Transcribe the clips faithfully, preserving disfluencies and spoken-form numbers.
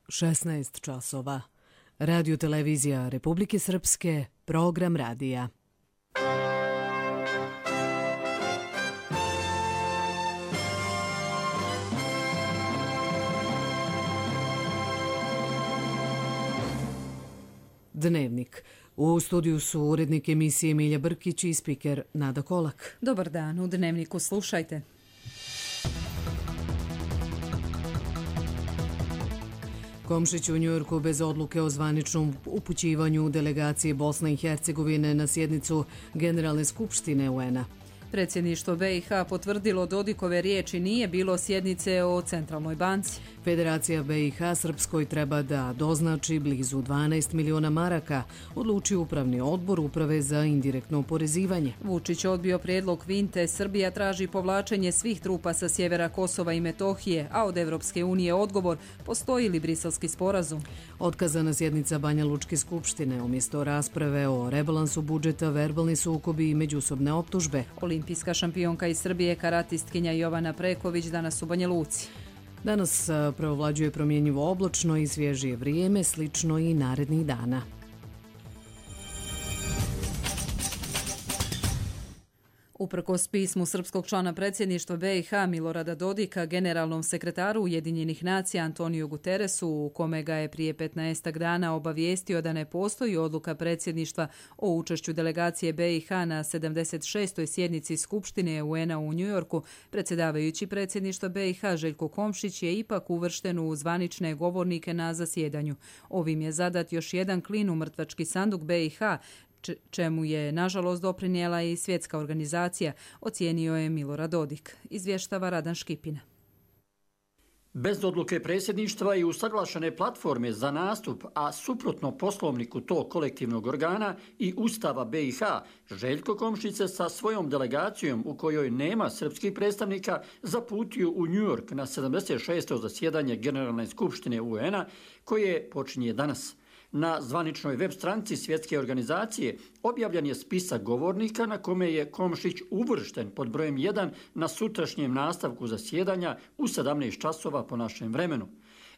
šesnaest časova. Radio televizija Republike Srpske, program radija. Dnevnik. U studiju su urednik emisije Milja Brkić i spiker Nada Kolak. Dobar dan, u Dnevniku slušajte. Komšić u Njujorku bez odluke o zvaničnom upućivanju delegacije Bosne i Hercegovine na sjednicu Generalne skupštine U N-a. Predsjedništvo B i H potvrdilo Dodikove riječi, nije bilo sjednice o Centralnoj banci. Federacija B i H Srpskoj treba da doznači blizu dvanaest miliona maraka, odlučio upravni odbor Uprave za indirektno oporezivanje. Vučić odbio prijedlog Vinte, Srbija traži povlačenje svih trupa sa sjevera Kosova i Metohije, a od Evropske unije odgovor, postoji li Briselski sporazum. Otkazana sjednica Banja Lučke skupštine, umjesto rasprave o rebalansu budžeta, verbalni sukobi i međusobne optužbe. Olimpijska šampionka iz Srbije, karatistkinja Jovana Preković, danas u Banja Luci. Danas preovlađuje promjenjivo oblačno i svježije vrijeme, slično i narednih dana. Uprkos pismu srpskog člana predsjedništva B i H Milorada Dodika generalnom sekretaru Ujedinjenih nacija Antoniju Guterresu, u kome ga je prije petnaestak dana obavijestio da ne postoji odluka predsjedništva o učešću delegacije B i H na sedamdeset šestoj sjednici Skupštine U N-a u Njujorku, predsjedavajući predsjedništva B i H Željko Komšić je ipak uvršten u zvanične govornike na zasjedanju. Ovim je zadat još jedan klin u mrtvački sanduk B i H, čemu je nažalost doprinijela i svjetska organizacija, ocijenio je Milorad Dodik, izvještava Radan Škipina. Bez odluke predsjedništva i usaglašene platforme za nastup, a suprotno poslovniku tog kolektivnog organa i Ustava B i H, Željko Komšić se sa svojom delegacijom, u kojoj nema srpskih predstavnika, zaputio u New York na sedamdeset šesto zasjedanje Generalne skupštine U N-a, koje počinje danas. Na zvaničnoj web stranici svjetske organizacije objavljen je spisak govornika na kome je Komšić uvršten pod brojem jedan na sutrašnjem nastavku zasjedanja u sedamnaest časova po našem vremenu.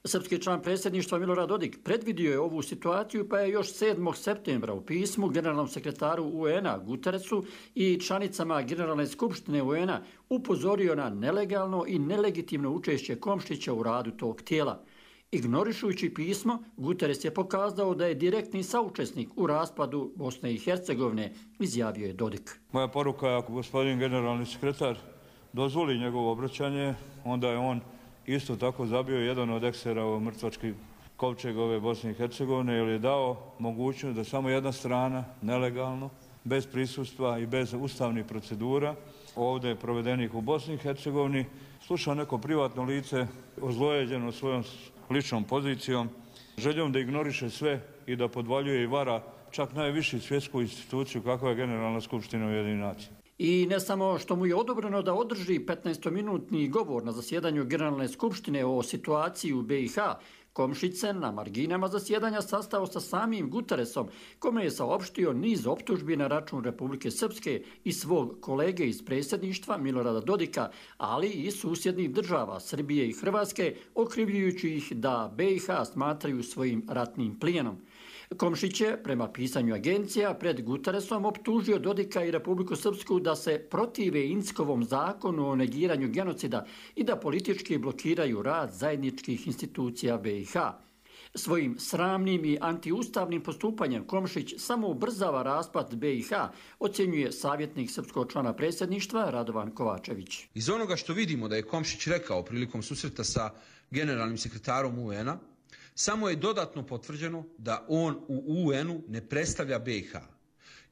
Srpski član predsjedništva Milorad Dodik predvidio je ovu situaciju, pa je još sedmog septembra u pismu generalnom sekretaru U N-a Guterresu i članicama Generalne skupštine U N-a upozorio na nelegalno i nelegitimno učešće Komšića u radu tog tijela. Ignorišujući pismo, Guterres je pokazao da je direktni saučesnik u raspadu Bosne i Hercegovine, izjavio je Dodik. Moja poruka je, ako gospodin generalni sekretar dozvoli njegovo obraćanje, onda je on isto tako zabio jedan od eksera u mrtvački kovčeg ove Bosne i Hercegovine, jer je dao mogućnost da samo jedna strana, nelegalno, bez prisustva i bez ustavnih procedura, ovdje provedenih u Bosni i Hercegovini, sluša neko privatno lice ozlojeđeno svojom ličnom pozicijom, željom da ignoriše sve i da podvaljuje i vara čak najvišu svjetsku instituciju kakva je Generalna skupština Ujedinjenih nacija. I ne samo što mu je odobreno da održi petnaestominutni govor na zasjedanju Generalne skupštine o situaciji u B i H, Komšić se na marginama zasjedanja sastao sa samim Guterresom, kome je saopštio niz optužbi na račun Republike Srpske i svog kolege iz predsjedništva Milorada Dodika, ali i susjednih država Srbije i Hrvatske, okrivljujući ih da B i H smatraju svojim ratnim plijenom. Komšić je, prema pisanju agencija, pred Guterresom optužio Dodika i Republiku Srpsku da se protive Inckovom zakonu o negiranju genocida i da politički blokiraju rad zajedničkih institucija B i H. Svojim sramnim i antiustavnim postupanjem Komšić samo ubrzava raspad B i H, ocjenjuje savjetnik srpskog člana predsjedništva Radovan Kovačević. Iz onoga što vidimo da je Komšić rekao prilikom susreta sa generalnim sekretarom U N-a, samo je dodatno potvrđeno da on u U N-u ne predstavlja B i H.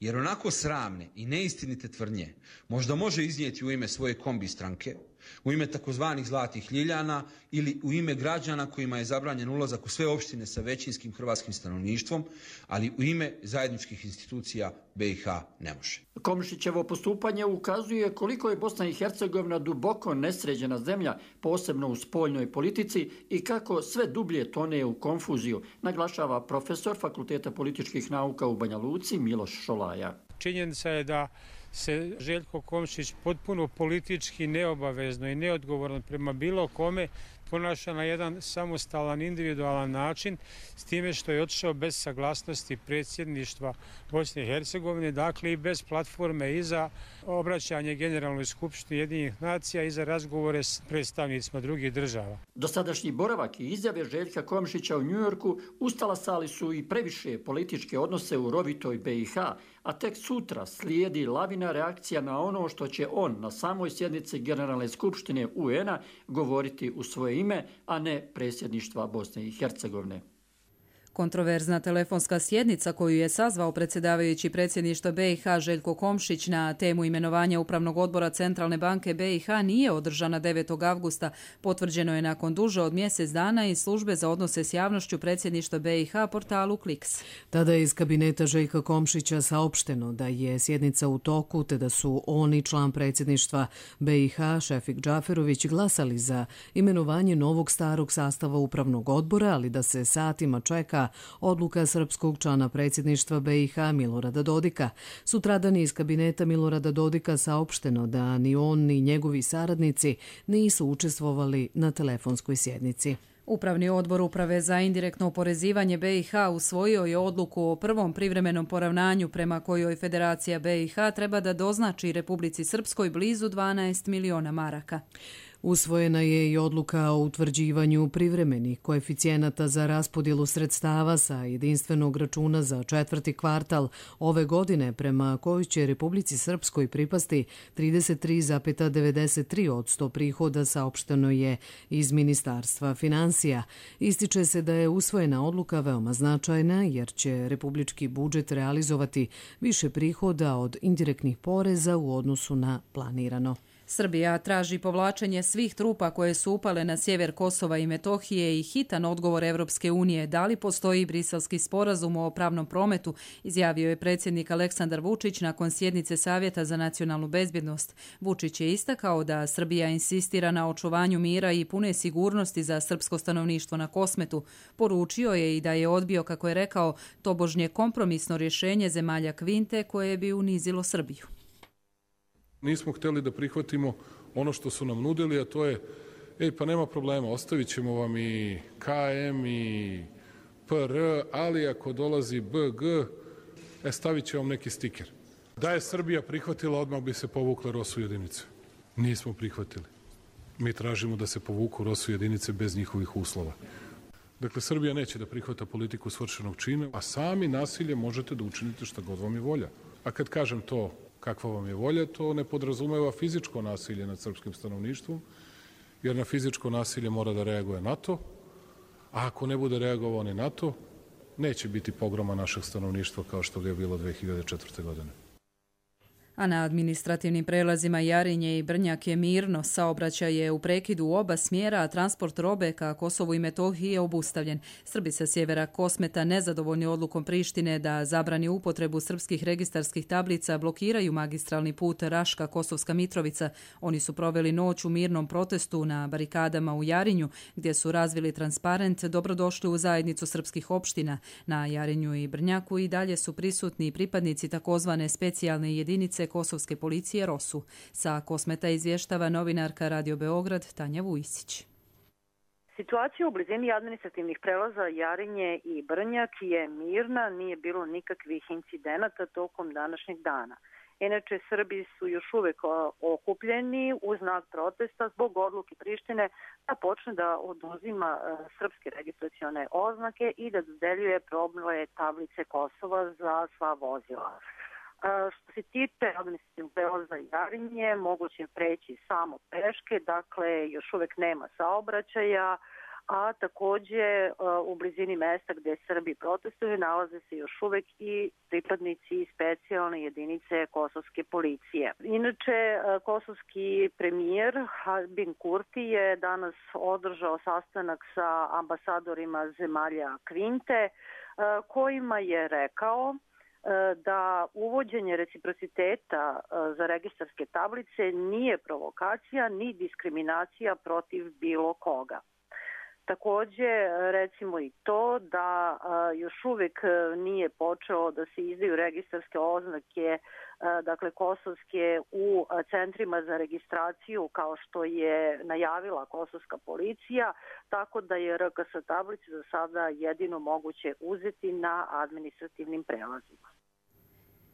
Jer onako sramne i neistinite tvrdnje možda može iznijeti u ime svoje kombi stranke, u ime takozvanih zlatih ljiljana ili u ime građana kojima je zabranjen ulazak u sve opštine sa većinskim hrvatskim stanovništvom, ali u ime zajedničkih institucija B i H ne može. Komšićevo postupanje ukazuje koliko je Bosna i Hercegovina duboko nesređena zemlja, posebno u spoljnoj politici, i kako sve dublje tone u konfuziju, naglašava profesor Fakulteta političkih nauka u Banja Luci Miloš Šolaja. Činjenica je da se Željko Komšić potpuno politički neobavezno i neodgovorno prema bilo kome ponaša na jedan samostalan, individualan način, s time što je otišao bez saglasnosti predsjedništva Bosne i Hercegovine, dakle i bez platforme i za obraćanje Generalnoj skupštini Ujedinjenih nacija i za razgovore s predstavnicima drugih država. Dosadašnji boravak i izjave Željka Komšića u Njujorku ustalasali su i previše političke odnose u rovitoj B i H, a tek sutra slijedi lavina reakcija na ono što će on na samoj sjednici Generalne skupštine U N-a govoriti u svoje ime, a ne predsjedništva Bosne i Hercegovine. Kontroverzna telefonska sjednica koju je sazvao predsjedavajući predsjedništva B i H Željko Komšić na temu imenovanja Upravnog odbora Centralne banke B i H nije održana devetog avgusta. Potvrđeno je nakon duže od mjesec dana iz službe za odnose s javnošću predsjedništva B i H portalu Kliks. Tada je iz kabineta Željka Komšića saopšteno da je sjednica u toku te da su on i član predsjedništva B i H Šefik Džaferović glasali za imenovanje novog starog sastava Upravnog odbora, ali da se satima čeka odluka srpskog člana predsjedništva B i H Milorada Dodika. Sutradan je iz kabineta Milorada Dodika saopšteno da ni on ni njegovi saradnici nisu učestvovali na telefonskoj sjednici. Upravni odbor Uprave za indirektno oporezivanje B i H usvojio je odluku o prvom privremenom poravnanju prema kojoj Federacija B i H treba da doznači Republici Srpskoj blizu dvanaest miliona maraka. Usvojena je i odluka o utvrđivanju privremenih koeficijenata za raspodjelu sredstava sa jedinstvenog računa za četvrti kvartal ove godine, prema kojoj će Republici Srpskoj pripasti trideset tri zarez devedeset tri posto prihoda, saopšteno je iz Ministarstva finansija. Ističe se da je usvojena odluka veoma značajna jer će republički budžet realizovati više prihoda od indirektnih poreza u odnosu na planirano. Srbija traži povlačenje svih trupa koje su upale na sjever Kosova i Metohije i hitan odgovor Evropske unije. Da li postoji briselski sporazum o pravnom prometu, izjavio je predsjednik Aleksandar Vučić nakon sjednice Savjeta za nacionalnu bezbjednost. Vučić je istakao da Srbija insistira na očuvanju mira i pune sigurnosti za srpsko stanovništvo na Kosmetu. Poručio je i da je odbio, kako je rekao, tobožnje kompromisno rješenje zemalja Kvinte koje bi unizilo Srbiju. Nismo htjeli da prihvatimo ono što su nam nudili, a to je, ej pa nema problema, ostavit ćemo vam i K M i P R, ali ako dolazi B G, e, stavit će vam neki stiker. Da je Srbija prihvatila, odmah bi se povukle R O S U jedinice. Nismo prihvatili. Mi tražimo da se povuku R O S U jedinice bez njihovih uslova. Dakle, Srbija neće da prihvata politiku svršenog čina, a sami nasilje možete da učinite šta god vam je volja. A kad kažem to, kakva vam je volja, to ne podrazumeva fizičko nasilje nad srpskim stanovništvom, jer na fizičko nasilje mora da reaguje NATO, a ako ne bude reagovao ni NATO, neće biti pogroma našeg stanovništva kao što ga je bilo dve hiljade četvrte. godine. A na administrativnim prelazima Jarinje i Brnjak je mirno, saobraćaj je u prekidu u oba smjera, a transport robe ka Kosovu i Metohiji je obustavljen. Srbi sa sjevera Kosmeta, nezadovoljni odlukom Prištine da zabrani upotrebu srpskih registarskih tablica, blokiraju magistralni put Raška-Kosovska Mitrovica. Oni su proveli noć u mirnom protestu na barikadama u Jarinju, gdje su razvili transparent "Dobrodošli u zajednicu srpskih opština". Na Jarinju i Brnjaku i dalje su prisutni pripadnici takozvane specijalne jedinice Kosovske policije R O S U. Sa Kosmeta izvještava novinarka Radio Beograd Tanja Vujisić. Situacija u blizini administrativnih prelaza Jarinje i Brnjak je mirna, nije bilo nikakvih incidenata tokom današnjeg dana. Inače, Srbi su još uvijek okupljeni u znak protesta zbog odluke Prištine da počne da oduzima srpske registracione oznake i da dodeljuje probne tablice Kosova za sva vozila. Što se tiče administrativnog prelaza Jarinje, moguće je preći samo peške, dakle još uvijek nema saobraćaja, a također u blizini mesta gdje Srbi protestuju nalaze se još uvijek i pripadnici specijalne jedinice kosovske policije. Inače, kosovski premijer Albin Kurti je danas održao sastanak sa ambasadorima zemalja Kvinte, kojima je rekao da uvođenje reciprociteta za registarske tablice nije provokacija ni diskriminacija protiv bilo koga. Takođe, recimo i to da još uvek nije počeo da se izdaju registarske oznake, dakle kosovske, u centrima za registraciju kao što je najavila kosovska policija, tako da je R K S tablice za sada jedino moguće uzeti na administrativnim prelazima.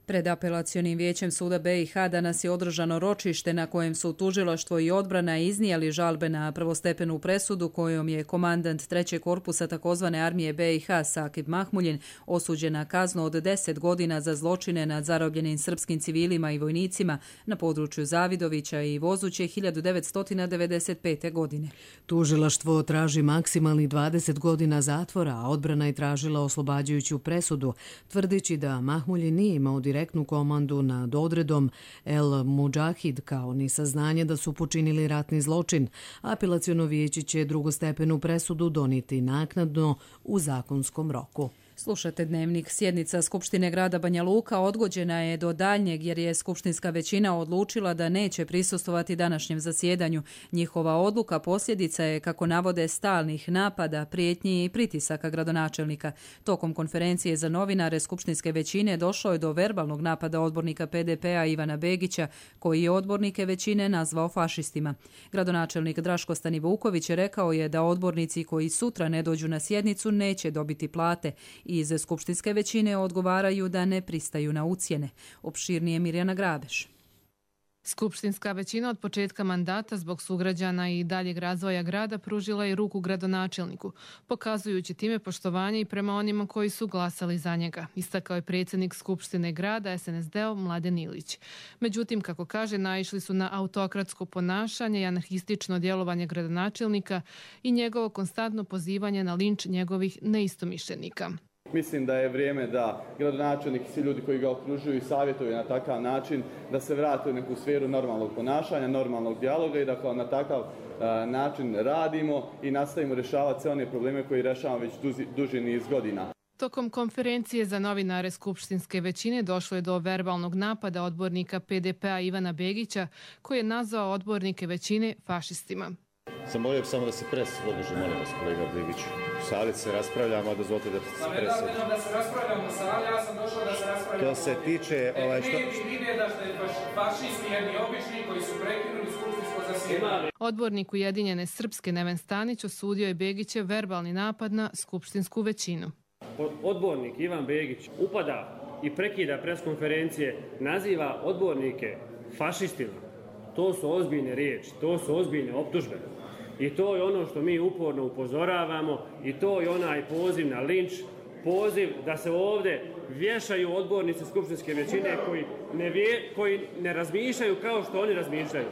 Pred apelacionim vijećem suda B i H danas je održano ročište na kojem su tužilaštvo i odbrana iznijeli žalbe na prvostepenu presudu kojom je komandant trećeg korpusa takozvane armije B i H Sakib Mahmuljin osuđen na kaznu od deset godina za zločine nad zarobljenim srpskim civilima i vojnicima na području Zavidovića i Vozuće hiljadu devetsto devedeset pete. godine. Tužilaštvo traži maksimalni dvadeset godina zatvora, a odbrana je tražila oslobađajuću presudu, tvrdeći da Mahmuljin nije imao direktnu komandu nad odredom El Mudžahid kao ni saznanje da su počinili ratni zločin. Apelaciono vijeće će drugostepenu presudu donijeti naknadno u zakonskom roku. Slušate Dnevnik. Sjednica Skupštine grada Banja Luka odgođena je do daljnjeg jer je skupštinska većina odlučila da neće prisustvovati današnjem zasjedanju. Njihova odluka posljedica je, kako navode, stalnih napada, prijetnji i pritisaka gradonačelnika. Tokom konferencije za novinare skupštinske većine došlo je do verbalnog napada odbornika P D P-a Ivana Begića, koji je odbornike većine nazvao fašistima. Gradonačelnik Draško Stanivuković rekao je da odbornici koji sutra ne dođu na sjednicu neće dobiti plate. Iz skupštinske većine odgovaraju da ne pristaju na ucjene. Opširnije Mirjana Grabeš. Skupštinska većina od početka mandata zbog sugrađana i daljeg razvoja grada pružila je ruku gradonačelniku, pokazujući time poštovanje i prema onima koji su glasali za njega, istakao je predsjednik Skupštine grada S N S D-ov Mladen Ilić. Međutim, kako kaže, naišli su na autokratsko ponašanje i anarhistično djelovanje gradonačelnika i njegovo konstantno pozivanje na linč njegovih neistomišljenika. Mislim da je vrijeme da gradonačelnik i svi ljudi koji ga okružuju i savjetuju na takav način da se vrate u neku sferu normalnog ponašanja, normalnog dijaloga i da na takav način radimo i nastavimo rješavati sve one probleme koje rješavamo već duži, duži niz godina. Tokom konferencije za novinare skupštinske većine došlo je do verbalnog napada odbornika P D P-a Ivana Begića, koji je nazvao odbornike većine fašistima. Zamolio bih samo da se pres održi, molim vas, kolega Begić. U sali se raspravljamo, a dozvolite da se pres održi. Da se raspravljamo u sali, ja sam došao da se raspravljamo. To se tiče... Ovaj, što... Mi ide da ste fašisti jedni obični koji su prekinuli skupštinsko zasjedanje. Odbornik Ujedinjene Srpske Neven Stanić osudio je Begićev verbalni napad na skupštinsku većinu. Odbornik Ivan Begić upada i prekida preskonferencije, naziva odbornike fašistima. To su ozbiljne riječi, to su ozbiljne optužbe. I to je ono što mi uporno upozoravamo i to je onaj poziv na linč, poziv da se ovdje vješaju odbornici skupštinske većine koji ne, vje, koji ne razmišljaju kao što oni razmišljaju.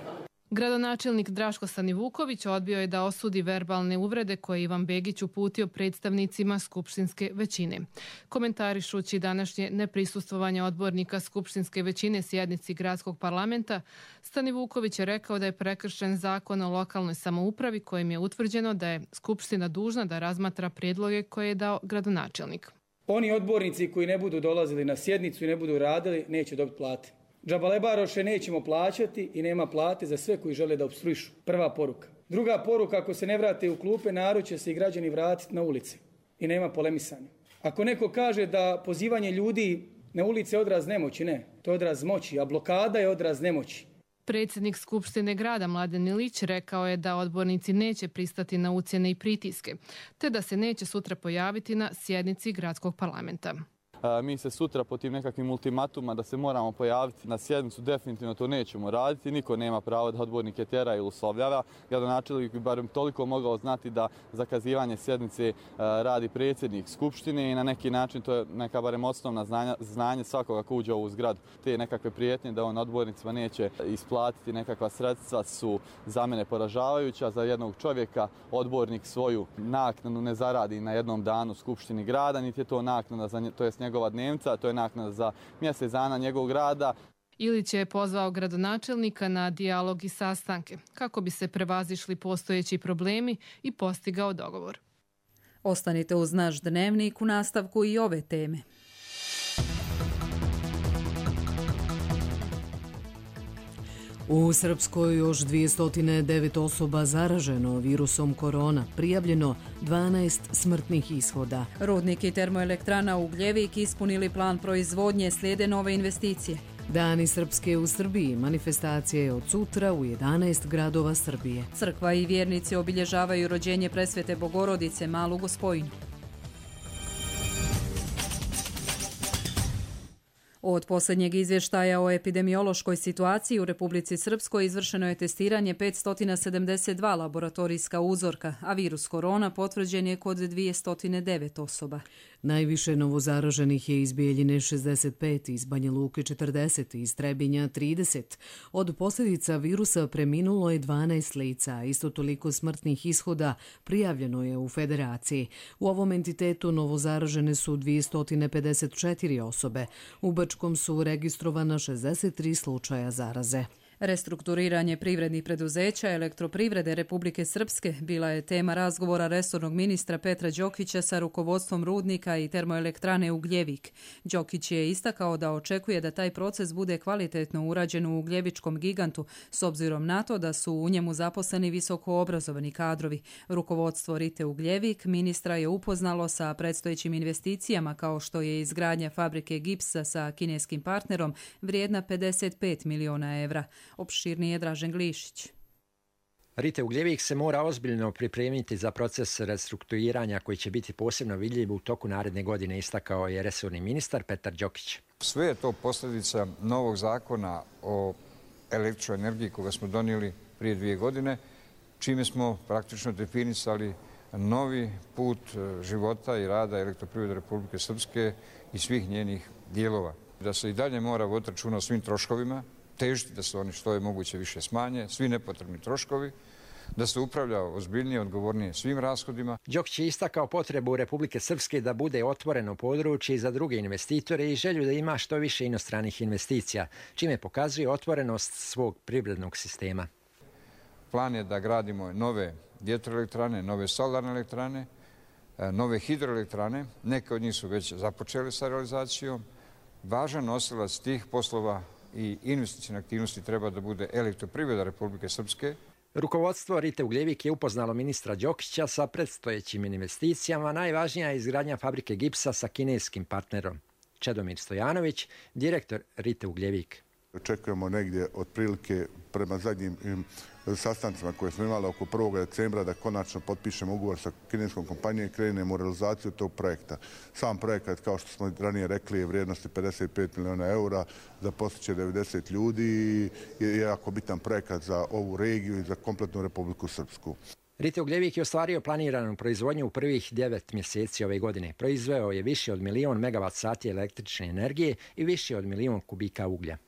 Gradonačelnik Draško Stanivuković odbio je da osudi verbalne uvrede koje Ivan Begić uputio predstavnicima skupštinske većine. Komentarišući današnje neprisustvovanje odbornika skupštinske većine sjednici gradskog parlamenta, Stanivuković je rekao da je prekršen zakon o lokalnoj samoupravi kojim je utvrđeno da je skupština dužna da razmatra prijedloge koje je dao gradonačelnik. Oni odbornici koji ne budu dolazili na sjednicu i ne budu radili neće dobiti plate. Džabalebaroše nećemo plaćati i nema plate za sve koji žele da opstruišu. Prva poruka. Druga poruka, ako se ne vrate u klupe, narod će se i građani vratiti na ulici. I nema polemisanja. Ako neko kaže da pozivanje ljudi na ulici je odraz nemoći, ne. To je odraz moći, a blokada je odraz nemoći. Predsjednik Skupštine grada Mladen Ilić rekao je da odbornici neće pristati na ucjene i pritiske, te da se neće sutra pojaviti na sjednici gradskog parlamenta. Mi se sutra po tim nekakvim ultimatuma da se moramo pojaviti na sjednicu, definitivno to nećemo raditi. Niko nema pravo da odbornike tjera ili uslovljava. Gradonačelnik bi barem toliko mogao znati da zakazivanje sjednice radi predsjednik Skupštine i na neki način to je neka barem osnovna znanja, znanje svakoga ko uđe u ovu zgradu. Te nekakve prijetnje da on odbornicima neće isplatiti nekakva sredstva su za mene poražavajuća. Za jednog čovjeka odbornik svoju naknadu ne zaradi na jednom danu Skupštini grada, niti je to naknada za nje, to je njegova dnevnica, to je naknada za mjesec dana njegovog rada. Ilić je pozvao gradonačelnika na dijalog i sastanke kako bi se prevazišli postojeći problemi i postigao dogovor. Ostanite uz naš Dnevnik u nastavku i ove teme. U Srpskoj još dvjesto devet osoba zaraženo virusom korona, prijavljeno dvanaest smrtnih ishoda. Rudnik i termoelektrana Ugljevik ispunili plan proizvodnje, slijede nove investicije. Dani Srpske u Srbiji, manifestacije od sutra u jedanaest gradova Srbije. Crkva i vjernici obilježavaju rođenje Presvete Bogorodice, Malu Gospojinu. Od posljednjeg izvještaja o epidemiološkoj situaciji u Republici Srpskoj izvršeno je testiranje petsto sedamdeset dva laboratorijska uzorka, a virus korona potvrđen je kod dvjesto devet osoba. Najviše novozaraženih je iz Bijeljine šezdeset pet, iz Banja Luke četrdeset, iz Trebinja trideset. Od posljedica virusa preminulo je dvanaest lica, isto toliko smrtnih ishoda prijavljeno je u Federaciji. U ovom entitetu novozaražene su dvjesto pedeset četiri osobe. U Bačkom su registrovana šezdeset tri slučaja zaraze. Restrukturiranje privrednih preduzeća Elektroprivrede Republike Srpske bila je tema razgovora resornog ministra Petra Đokića sa rukovodstvom rudnika i termoelektrane Ugljevik. Đokić je istakao da očekuje da taj proces bude kvalitetno urađen u ugljevičkom gigantu, s obzirom na to da su u njemu zaposleni visoko obrazovani kadrovi. Rukovodstvo Rite Ugljevik ministra je upoznalo sa predstojećim investicijama kao što je izgradnja fabrike gipsa sa kineskim partnerom vrijedna pedeset pet miliona evra. Opširnije je Dražen Glišić. Rite Ugljevik se mora ozbiljno pripremiti za proces restrukturiranja koji će biti posebno vidljiv u toku naredne godine, istakao je resorni ministar Petar Đokić. Sve je to posljedica novog zakona o električnoj energiji koga smo donijeli prije dvije godine, čime smo praktično definisali novi put života i rada Elektroprivrede Republike Srpske i svih njenih dijelova. Da se i dalje mora voditi računa o svim troškovima, težiti da se oni što je moguće više smanje, svi nepotrebni troškovi, da se upravlja ozbiljnije, odgovornije svim rashodima. Đokić je istakao potrebu Republike Srpske da bude otvoreno područje za druge investitore i želju da ima što više inostranih investicija, čime pokazuje otvorenost svog privrednog sistema. Plan je da gradimo nove vjetroelektrane, nove solarne elektrane, nove hidroelektrane. Neke od njih su već započele sa realizacijom. Važan nosilac tih poslova i investicijne aktivnosti treba da bude Elektroprivreda Republike Srpske. Rukovodstvo Rite Ugljevik je upoznalo ministra Đokića sa predstojećim investicijama. Najvažnija je izgradnja fabrike gipsa sa kineskim partnerom. Čedomir Stojanović, direktor Rite Ugljevik. Očekujemo negdje otprilike prema zadnjim sastancima koje smo imali oko prvog decembra da konačno potpišemo ugovor sa kineskom kompanijom i krenemo u realizaciju tog projekta. Sam projekat, kao što smo ranije rekli, je vrijednosti pedeset pet miliona eura, zaposliće devedeset ljudi i je jako bitan projekat za ovu regiju i za kompletnu Republiku Srpsku. Rite Ugljevik je ostvario planiranu proizvodnju u prvih devet mjeseci ove godine. Proizveo je više od milion megavat sati električne energije i više od milion kubika uglja.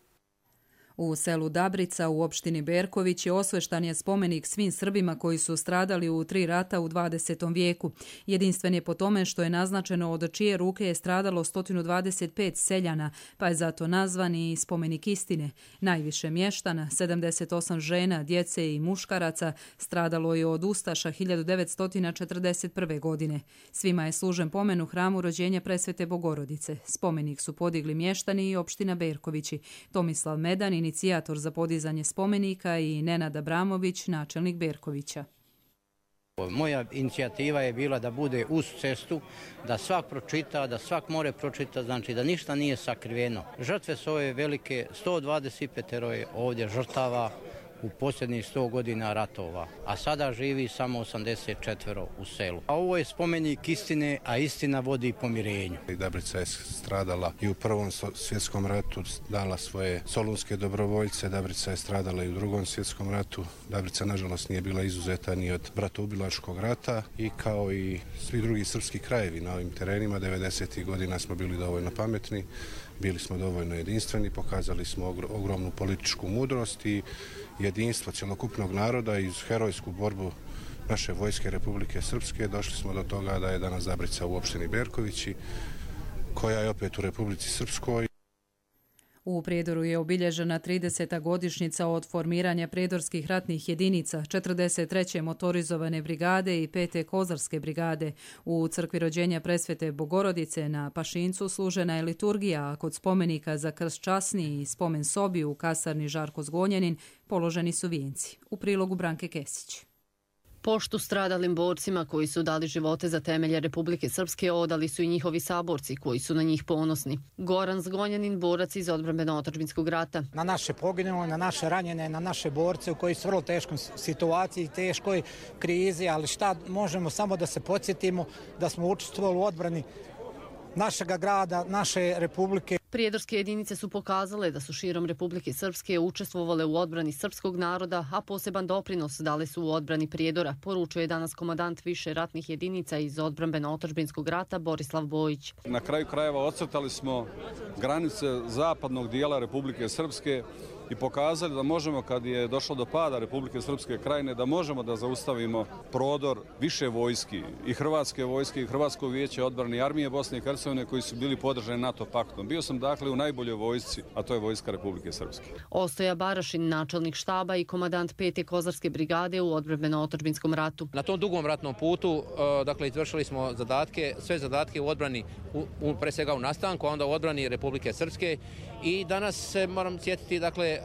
U selu Dabrica u opštini Berković je osveštan je spomenik svim Srbima koji su stradali u tri rata u dvadesetom vijeku. Jedinstven je po tome što je naznačeno od čije ruke je stradalo sto dvadeset pet seljana, pa je zato nazvan i spomenik istine. Najviše mještana, sedamdeset osam žena, djece i muškaraca, stradalo je od ustaša hiljadu devetsto četrdeset prve. godine. Svima je služen pomen u hramu rođenja Presvete Bogorodice. Spomenik su podigli mještani i opština Berkovići. Tomislav Medan, inicijator za podizanje spomenika, i Nenad Abramović, načelnik Berkovića. Moja inicijativa je bila da bude uz cestu, da svak pročita, da svak more pročita, znači da ništa nije sakriveno. Žrtve su ove velike, sto dvadeset pet je ovdje žrtava u posljednjih sto godina ratova, a sada živi samo osamdeset četiri u selu. A ovo je spomenik istine, a istina vodi pomirenju. Dabrica je stradala i u Prvom svjetskom ratu, dala svoje solunske dobrovoljce, Dabrica je stradala i u Drugom svjetskom ratu. Dabrica, nažalost, nije bila izuzeta ni od bratoubilačkog rata i kao i svi drugi srpski krajevi na ovim terenima, devedesetih godina smo bili dovoljno pametni, bili smo dovoljno jedinstveni, pokazali smo ogromnu političku mudrost i jedinstvo cjelokupnog naroda i herojsku borbu naše vojske Republike Srpske. Došli smo do toga da je danas Dabrica u opštini Berkovići, koja je opet u Republici Srpskoj. U Prijedoru je obilježena trideseta godišnjica od formiranja prijedorskih ratnih jedinica, četrdeset treće motorizovane brigade i pete kozarske brigade. U crkvi rođenja Presvete Bogorodice na Pašincu služena je liturgija, a kod spomenika za krst časni i spomen sobi u kasarni Žarko Zgonjanin položeni su vijenci. U prilogu Branke Kesić. Poštu stradalim borcima koji su dali živote za temelje Republike Srpske odali su i njihovi saborci koji su na njih ponosni. Goran Zgonjanin, borac iz odbrambeno-otadžbinskog rata. Na naše poginule, na naše ranjene, na naše borce u koji su vrlo teškoj situaciji, teškoj krizi, ali šta možemo samo da se podsjetimo da smo učestvovali u odbrani našega grada, naše republike. Prijedorske jedinice su pokazale da su širom Republike Srpske učestvovale u odbrani srpskog naroda, a poseban doprinos dale su u odbrani Prijedora, poručuje danas komandant više ratnih jedinica iz odbrambeno-otadžbinskog rata Borislav Bojić. Na kraju krajeva ocrtali smo granice zapadnog dijela Republike Srpske i pokazali da možemo, kad je došlo do pada Republike Srpske krajine, da možemo da zaustavimo prodor više vojski, i hrvatske vojske, i Hrvatsko vijeće odbrane, i armije Bosne i Hercegovine koji su bili podržani NATO paktom. Bio sam dakle u najboljoj vojsci, a to je vojska Republike Srpske. Ostoja Barašin, načelnik štaba i komandant pete kozarske brigade u odbrambeno-otadžbinskom ratu. Na tom dugom ratnom putu, dakle, izvršili smo zadatke, sve zadatke u odbrani, u, u, pre svega u nastanku, a onda u odbrani Republike Srpske. I danas se moram sjetiti, dakle,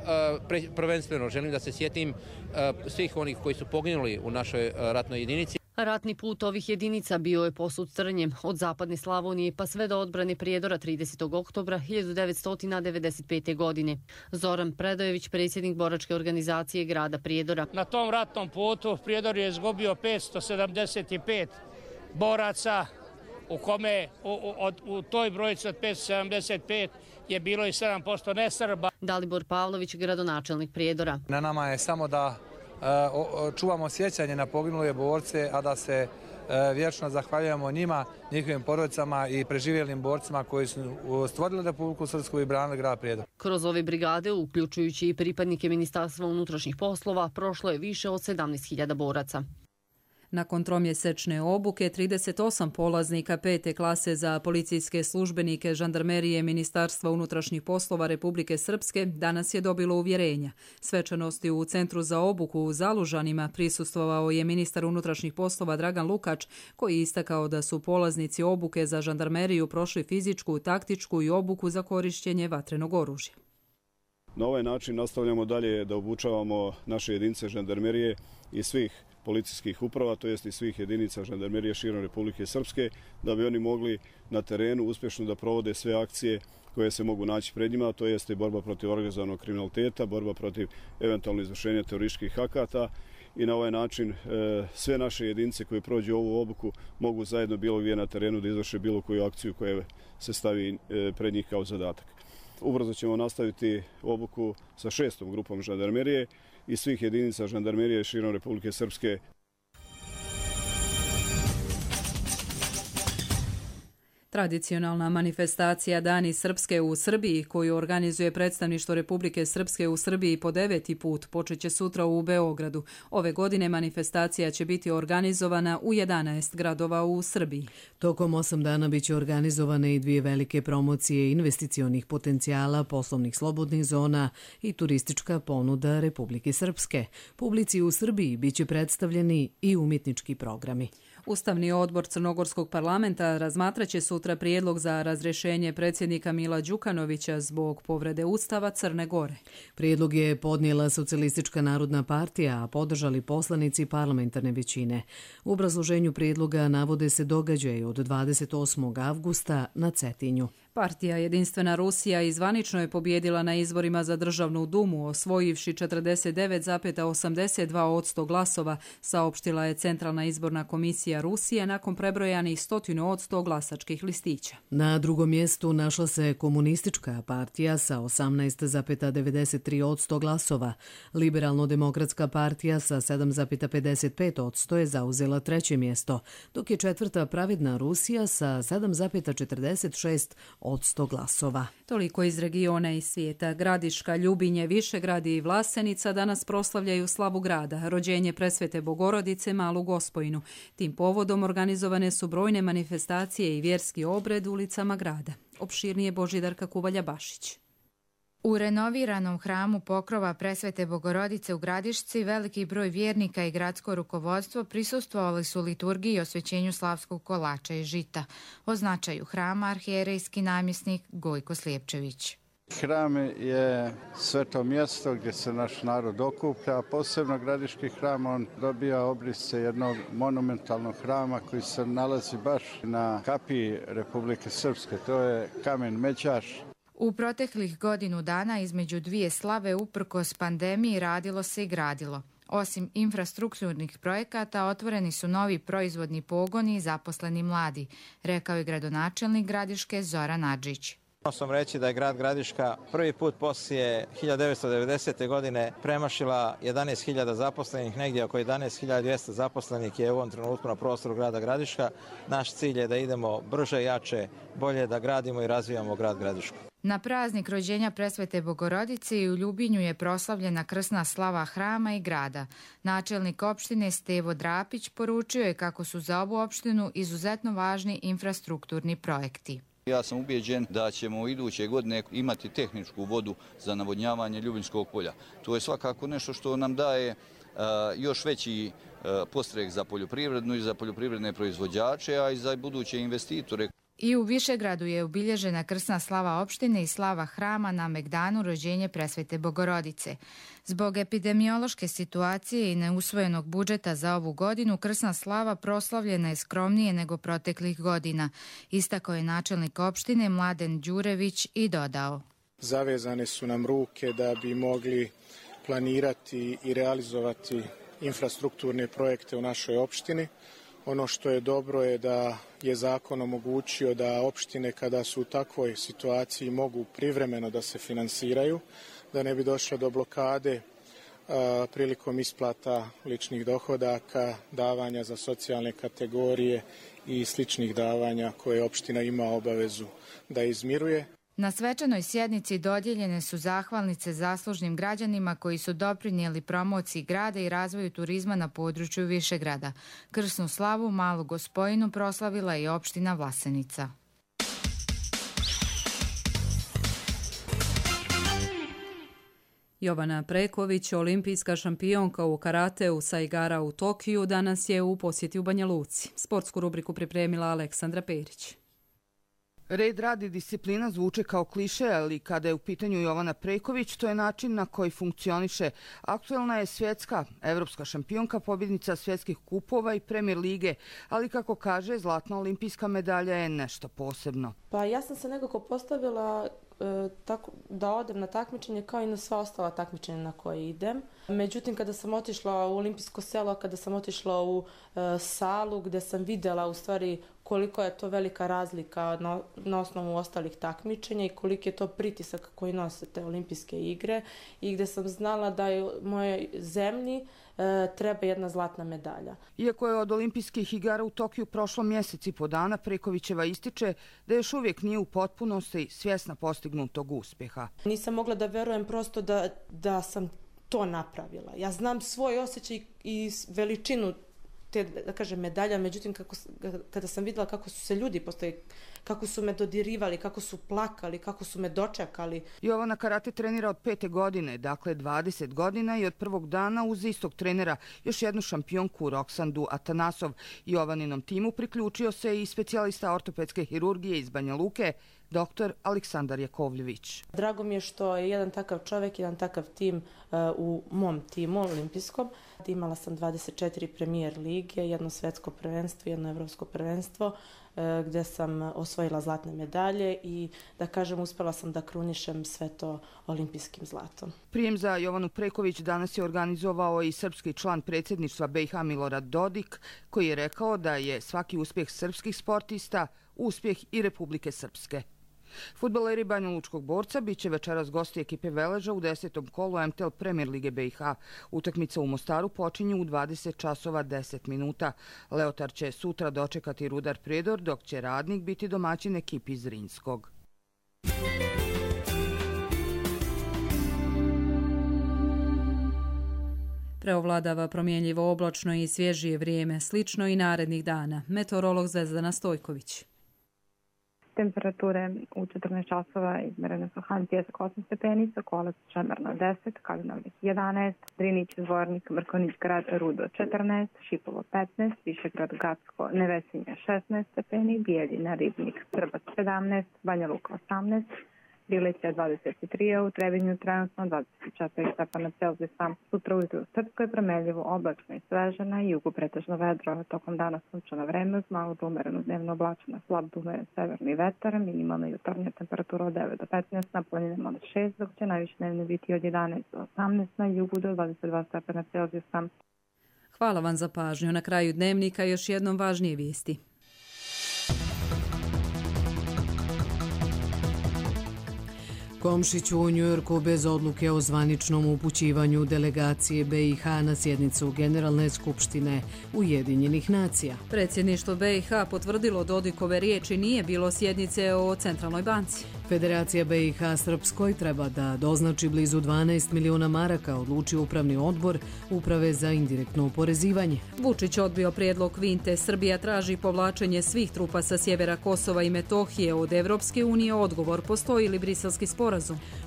prvenstveno želim da se sjetim svih onih koji su poginuli u našoj ratnoj jedinici. Ratni put ovih jedinica bio je posut trnjem od zapadne Slavonije pa sve do odbrane Prijedora tridesetog oktobra hiljadu devetsto devedeset pete. godine. Zoran Predojević, predsjednik boračke organizacije grada Prijedora. Na tom ratnom putu Prijedor je izgubio petsto sedamdeset pet boraca, u kome u, u, u toj brojici od petsto sedamdeset pet je bilo i sedam posto nesrba. Dalibor Pavlović, gradonačelnik Prijedora. Na nama je samo da uh, čuvamo sjećanje na poginule borce, a da se uh, vječno zahvaljujemo njima, njihovim porodicama i preživjelim borcima koji su stvorili Republiku Srpsku i branili grad Prijedor. Kroz ove brigade, uključujući i pripadnike Ministarstva unutrašnjih poslova, prošlo je više od sedamnaest hiljada boraca. Nakon tromjesečne obuke, trideset osam polaznika pete klase za policijske službenike žandarmerije Ministarstva unutrašnjih poslova Republike Srpske danas je dobilo uvjerenja. Svečanosti u Centru za obuku u Zalužanima prisustvovao je ministar unutrašnjih poslova Dragan Lukač, koji je istakao da su polaznici obuke za žandarmeriju prošli fizičku, taktičku i obuku za korištenje vatrenog oružja. Na ovaj način nastavljamo dalje da obučavamo naše jedinice žandarmerije i svih policijskih uprava, to jest i svih jedinica žandarmerije širom Republike Srpske, da bi oni mogli na terenu uspješno da provode sve akcije koje se mogu naći pred njima, to jeste borba protiv organizovanog kriminaliteta, borba protiv eventualno izvršenja terorističkih akata, i na ovaj način e, sve naše jedinice koje prođu ovu obuku mogu zajedno bilo gdje na terenu da izvrše bilo koju akciju koja se stavi e, pred njih kao zadatak. Ubrzo ćemo nastaviti obuku sa šestom grupom žandarmerije i svih jedinica žandarmerije širom Republike Srpske. Tradicionalna manifestacija Dani Srpske u Srbiji, koju organizuje predstavništvo Republike Srpske u Srbiji po deveti put, počeće sutra u Beogradu. Ove godine manifestacija će biti organizovana u jedanaest gradova u Srbiji. Tokom osam dana biće organizovane i dvije velike promocije investicionih potencijala, poslovnih slobodnih zona i turistička ponuda Republike Srpske. Publici u Srbiji biće predstavljeni i umjetnički programi. Ustavni odbor Crnogorskog parlamenta razmatraće sutra prijedlog za razrješenje predsjednika Mila Đukanovića zbog povrede Ustava Crne Gore. Prijedlog je podnijela Socijalistička narodna partija, a podržali poslanici parlamentarne većine. U obrazloženju prijedloga navode se događaj od dvadeset osmog avgusta na Cetinju. Partija Jedinstvena Rusija izvanično je pobjedila na izborima za državnu dumu, osvojivši četrdeset devet zarez osamdeset dva posto glasova, saopštila je Centralna izborna komisija Rusije nakon prebrojanih stotinu od sto glasačkih listića. Na drugom mjestu našla se Komunistička partija sa osamnaest zarez devedeset tri posto glasova. Liberalno-demokratska partija sa sedam zarez pedeset pet posto je zauzela treće mjesto, dok je četvrta Pravedna Rusija sa sedam zarez četrdeset šest posto glasova. Toliko iz regiona i svijeta. Gradiška, Ljubinje, Višegrad i Vlasenica danas proslavljaju slavu grada, rođenje Presvete Bogorodice, Malu Gospojinu. Tim povodom organizovane su brojne manifestacije i vjerski obred ulicama grada. Opširnije Božidarka Kuvalja Bašić. U renoviranom hramu Pokrova Presvete Bogorodice u Gradišci veliki broj vjernika i gradsko rukovodstvo prisustvovali su liturgiji i osvećenju slavskog kolača i žita. O značaju hrama arhijerejski namjesnik Gojko Slijepčević. Hram je sveto mjesto gdje se naš narod okuplja, posebno Gradiški hram, on dobija obrise jednog monumentalnog hrama koji se nalazi baš na kapiji Republike Srpske, to je kamen Međaš. U proteklih godinu dana između dvije slave uprkos pandemiji radilo se i gradilo. Osim infrastrukturnih projekata, otvoreni su novi proizvodni pogoni i zaposleni mladi, rekao je gradonačelnik Gradiške Zoran Adžić. Možemo sam reći da je grad Gradiška prvi put poslije hiljadu devetsto devedesete. godine premašila jedanaest hiljada zaposlenih, negdje oko jedanaest hiljada dvjesto zaposlenih je u ovom trenutku na prostoru grada Gradiška. Naš cilj je da idemo brže, jače, bolje, da gradimo i razvijamo grad Gradišku. Na praznik rođenja Presvete Bogorodice i u Ljubinju je proslavljena krsna slava hrama i grada. Načelnik opštine Stevo Drapić poručio je kako su za ovu opštinu izuzetno važni infrastrukturni projekti. Ja sam ubijeđen da ćemo iduće godine imati tehničku vodu za navodnjavanje Ljubinskog polja. To je svakako nešto što nam daje uh, još veći uh, podstrek za poljoprivrednu i za poljoprivredne proizvođače, a i za buduće investitore. I u Višegradu je obilježena krsna slava opštine i slava hrama na Megdanu rođenje Presvete Bogorodice. Zbog epidemiološke situacije i neusvojenog budžeta za ovu godinu, krsna slava proslavljena je skromnije nego proteklih godina, istakao je načelnik opštine Mladen Đurević i dodao. Zavezane su nam ruke da bi mogli planirati i realizovati infrastrukturne projekte u našoj opštini. Ono što je dobro je da je zakon omogućio da opštine kada su u takvoj situaciji mogu privremeno da se finansiraju, da ne bi došlo do blokade a, prilikom isplata ličnih dohodaka, davanja za socijalne kategorije i sličnih davanja koje opština ima obavezu da izmiruje. Na svečanoj sjednici dodijeljene su zahvalnice zaslužnim građanima koji su doprinijeli promociji grada i razvoju turizma na području Višegrada. Krsnu slavu Malu Gospojinu proslavila je i opština Vlasenica. Jovana Preković, olimpijska šampionka u karateu sa igara u Tokiju, danas je u posjeti u Banja Luci. Sportsku rubriku pripremila Aleksandra Perić. Red, rad i disciplina zvuče kao kliše, ali kada je u pitanju Jovana Preković, to je način na koji funkcioniše. Aktuelna je svjetska, evropska šampionka, pobjednica svjetskih kupova i Premier lige, ali kako kaže, zlatna olimpijska medalja je nešto posebno. Pa ja sam se nekako postavila e, tako, da odem na takmičenje kao i na sva ostala takmičenja na koje idem. Međutim, kada sam otišla u olimpijsko selo, kada sam otišla u e, salu gdje sam vidjela u stvari koliko je to velika razlika na, na osnovu ostalih takmičenja i koliki je to pritisak koji nose te olimpijske igre i gdje sam znala da je mojoj zemlji e, treba jedna zlatna medalja. Iako je od olimpijskih igara u Tokiju prošlo mjesec i po dana, Prekovićeva ističe da još uvijek nije u potpunosti svjesna postignutog uspjeha. Nisam mogla da verujem prosto da, da sam to napravila. Ja znam svoj osjećaj i veličinu te, da kažem, medalja, međutim kako, kada sam vidjela kako su se ljudi postoji, kako su me dodirivali, kako su plakali, kako su me dočekali. Jovana karate trenira od pete godine, dakle dvadeset godina i od prvog dana uz istog trenera još jednu šampionku Roksandu Atanasov. Jovaninom timu priključio se i specijalista ortopedske hirurgije iz Banja Luke, doktor Aleksandar Jakovljević. Drago mi je što je jedan takav čovjek, jedan takav tim uh, u mom timu olimpijskom. Imala sam dvadeset četiri Premier lige, jedno svetsko prvenstvo, jedno evropsko prvenstvo, uh, gdje sam osvojila zlatne medalje i da kažem uspjela sam da krunišem sve to olimpijskim zlatom. Prijem za Jovanu Preković danas je organizovao i srpski član predsjedništva B i H Milorad Dodik, koji je rekao da je svaki uspjeh srpskih sportista uspjeh i Republike Srpske. Fudbaleri Banjalučkog Borca biće večeras gosti ekipe Veleža u desetom kolu M T L Premier lige B i H. Utakmica u Mostaru počinje u dvadeset časova deset minuta. Leotar će sutra dočekati Rudar Prijedor, dok će Radnik biti domaćin ekipi iz Zrinskog. Preovladava promjenljivo oblačno i svježije vrijeme, slično i narednih dana. Meteorolog Zvezdana Stojković. Temperature u četrnaest časova izmerene su Han Pjesak osam stepeni, Sokolac Čemerna deset, Kalinavnik jedanaest, Drinić, Zvornik, Mrkonić grad, Rudo četrnaest, Šipovo petnaest, Višegrad Gacko, Nevesinje šesnaest stepeni, Bijeljina, Ribnik, Trbac sedamnaest, Banja Luka osamnaest, Bilića dvadeset tri, u Trebinju trenutno dvadeset četiri stepena Celzijusa. Sutra ujutru u Srpskoj promenljivo, oblačno i sveže, na jugu pretežno vedro, tokom dana sunčano vreme uz malo do umerenu dnevno oblačena, slab do umeren severni vetar, minimalna jutarnja temperatura od devet do petnaest, na planinama od šest, dok će najviše dnevno biti od jedanaest do osamnaest, na jugu do dvadeset dva stepena Celzijusa. Hvala vam za pažnju. Na kraju dnevnika još jednom važnije vijesti. Komšić u Njujorku bez odluke o zvaničnom upućivanju delegacije B i H na sjednicu Generalne skupštine Ujedinjenih nacija. Predsjedništvo B i H potvrdilo Dodikove riječi, nije bilo sjednice o Centralnoj banci. Federacija B i H Srpskoj treba da doznači blizu dvanaest miliona maraka, odlučio upravni odbor Uprave za indirektno oporezivanje. Vučić odbio prijedlog Kvinte. Srbija traži povlačenje svih trupa sa sjevera Kosova i Metohije od Evropske unije. Odgovor: postoji li briselski sporazum?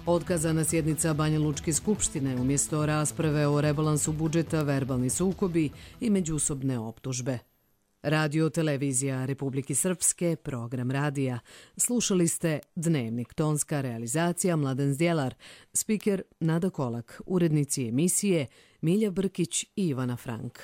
Otkazana sjednica Banja Lučke skupštine, umjesto rasprave o rebalansu budžeta, verbalni sukobi i međusobne optužbe. Radio televizija Republike Srpske, program radija. Slušali ste Dnevnik, tonska realizacija Mladen Zdjelar, spiker Nada Kolak, urednici emisije Milja Brkić i Ivana Frank.